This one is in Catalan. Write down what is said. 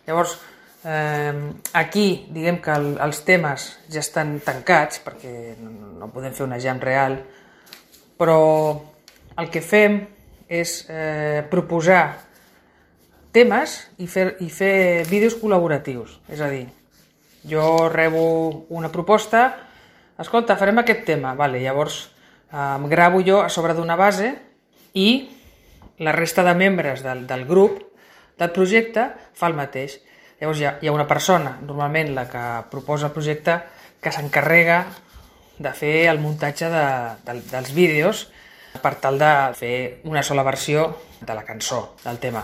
Llavors, aquí, diguem que els temes ja estan tancats, perquè no podem fer una jam real, però el que fem és proposar temes i fer vídeos col·laboratius. És a dir, jo rebo una proposta, escolta, farem aquest tema, vale, llavors em gravo jo a sobre d'una base i la resta de membres del grup, del projecte, fa el mateix. Llavors hi ha una persona, normalment la que proposa el projecte, que s'encarrega de fer el muntatge dels vídeos per tal de fer una sola versió de la cançó, del tema.